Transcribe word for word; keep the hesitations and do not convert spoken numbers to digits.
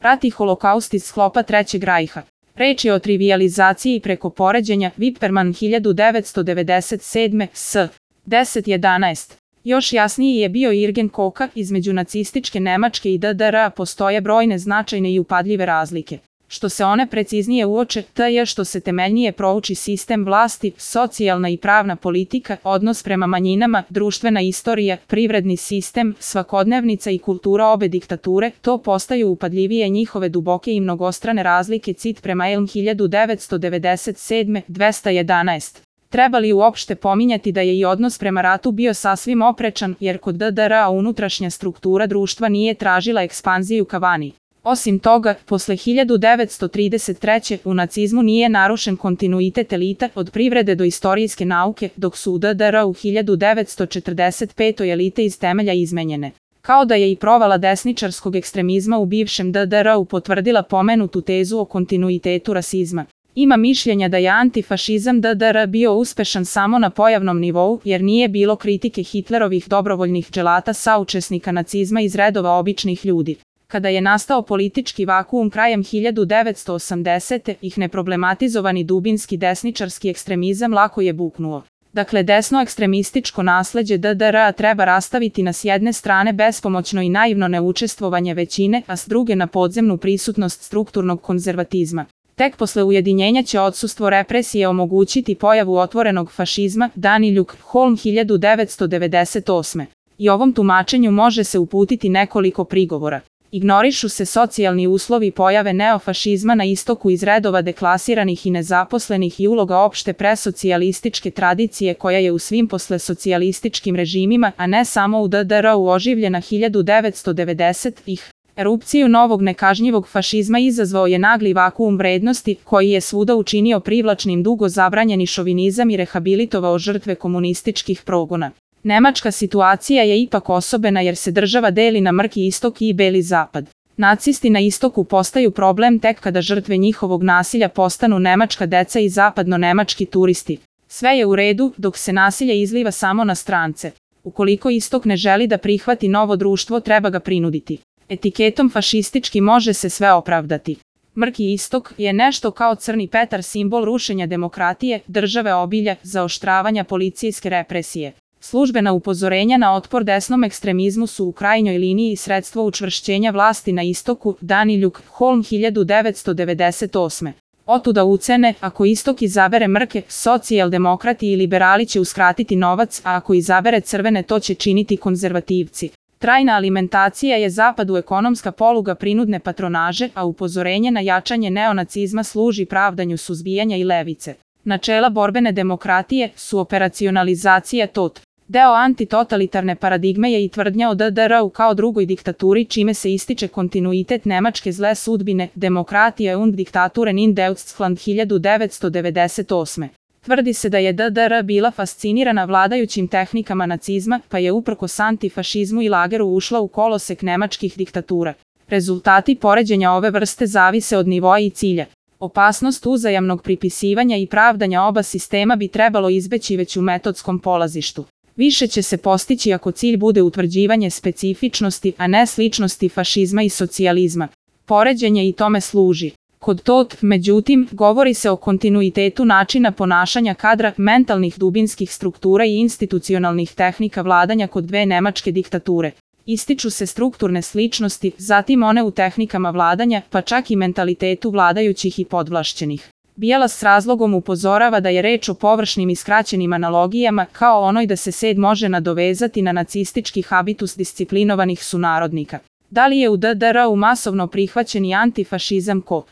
Rat i holokaust iz sklopa Trećeg rajha. Reč je o trivijalizaciji preko poređenja. Wipperman hiljadu devetsto devedeset sedme. S. deset jedanaest. Još jasniji je bio Irgen Koka, između nacističke Nemačke i D D R postoje brojne značajne i upadljive razlike. Što se one preciznije uoče, to je što se temeljnije prouči sistem vlasti, socijalna i pravna politika, odnos prema manjinama, društvena istorija, privredni sistem, svakodnevnica i kultura obe diktature, to postaju upadljivije njihove duboke i mnogostrane razlike. Cit prema Elm hiljadu devetsto devedeset sedme. dvesta jedanaest. Treba li uopšte pominjati da je i odnos prema ratu bio sasvim oprečan, jer kod D D R unutrašnja struktura društva nije tražila ekspanziju ka vani. Osim toga, posle hiljadu devetsto trideset treće. u nacizmu nije narušen kontinuitet elita od privrede do istorijske nauke, dok su u D D R u hiljadu devetsto četrdeset petoj elite iz temelja izmenjene. Kao da je i provala desničarskog ekstremizma u bivšem D D R-u potvrdila pomenutu tezu o kontinuitetu rasizma. Ima mišljenja da je antifašizam D D R bio uspešan samo na pojavnom nivou, jer nije bilo kritike Hitlerovih dobrovoljnih dželata saučesnika nacizma iz redova običnih ljudi. Kada je nastao politički vakuum krajem hiljadu devetsto osamdesete. ih neproblematizovani dubinski desničarski ekstremizam lako je buknuo. Dakle, desno ekstremističko nasleđe D D R-a treba rastaviti na s jedne strane bespomoćno i naivno neučestvovanje većine, a s druge na podzemnu prisutnost strukturnog konzervatizma. Tek posle ujedinjenja će odsustvo represije omogućiti pojavu otvorenog fašizma. Daniljuk, Holm hiljadu devetsto devedeset osme. I ovom tumačenju može se uputiti nekoliko prigovora. Ignorišu se socijalni uslovi pojave neofašizma na istoku iz redova deklasiranih i nezaposlenih i uloga opšte presocijalističke tradicije koja je u svim poslesocijalističkim režimima, a ne samo u D D R-u oživljena hiljadu devetsto devedesetih. Erupciju novog nekažnjivog fašizma izazvao je nagli vakuum vrednosti, koji je svuda učinio privlačnim dugo zabranjeni šovinizam i rehabilitovao žrtve komunističkih progona. Nemačka situacija je ipak osobena jer se država deli na mrki istok i beli zapad. Nacisti na istoku postaju problem tek kada žrtve njihovog nasilja postanu nemačka deca i zapadno-nemački turisti. Sve je u redu, dok se nasilje izliva samo na strance. Ukoliko istok ne želi da prihvati novo društvo, treba ga prinuditi. Etiketom fašistički može se sve opravdati. Mrki istok je nešto kao crni Petar, simbol rušenja demokratije, države obilja, zaoštravanja policijske represije. Službena upozorenja na otpor desnom ekstremizmu su u krajnjoj liniji sredstvo učvršćenja vlasti na istoku. Daniljuk, Holm hiljadu devetsto devedeset osme. Otuda ucene, ako istok izabere mrke, socijaldemokrati i liberali će uskratiti novac, a ako izabere crvene, to će činiti konzervativci. Trajna alimentacija je zapadu ekonomska poluga prinudne patronaže, a upozorenje na jačanje neonacizma služi pravdanju suzbijanja i levice. Načela borbene demokratije su operacionalizacija tot. Deo antitotalitarne paradigme je i tvrdnja o D D R-u kao drugoj diktaturi, čime se ističe kontinuitet nemačke zle sudbine, demokratije und diktaturen in Deutschland hiljadu devetsto devedeset osme. Tvrdi se da je D D R bila fascinirana vladajućim tehnikama nacizma, pa je uprkos antifašizmu i lageru ušla u kolosek nemačkih diktatura. Rezultati poređenja ove vrste zavise od nivoa i cilja. Opasnost uzajamnog pripisivanja i pravdanja oba sistema bi trebalo izbeći već u metodskom polazištu. Više će se postići ako cilj bude utvrđivanje specifičnosti, a ne sličnosti fašizma i socijalizma. Poređenje i tome služi. Kod tot, međutim, govori se o kontinuitetu načina ponašanja kadra, mentalnih dubinskih struktura i institucionalnih tehnika vladanja kod dve nemačke diktature. Ističu se strukturne sličnosti, zatim one u tehnikama vladanja, pa čak i mentalitetu vladajućih i podvlašćenih. Bielas s razlogom upozorava da je reč o površnim i skraćenim analogijama, kao onoj da se sed može nadovezati na nacistički habitus disciplinovanih sunarodnika. Da li je u D D R-u masovno prihvaćen i antifašizam ko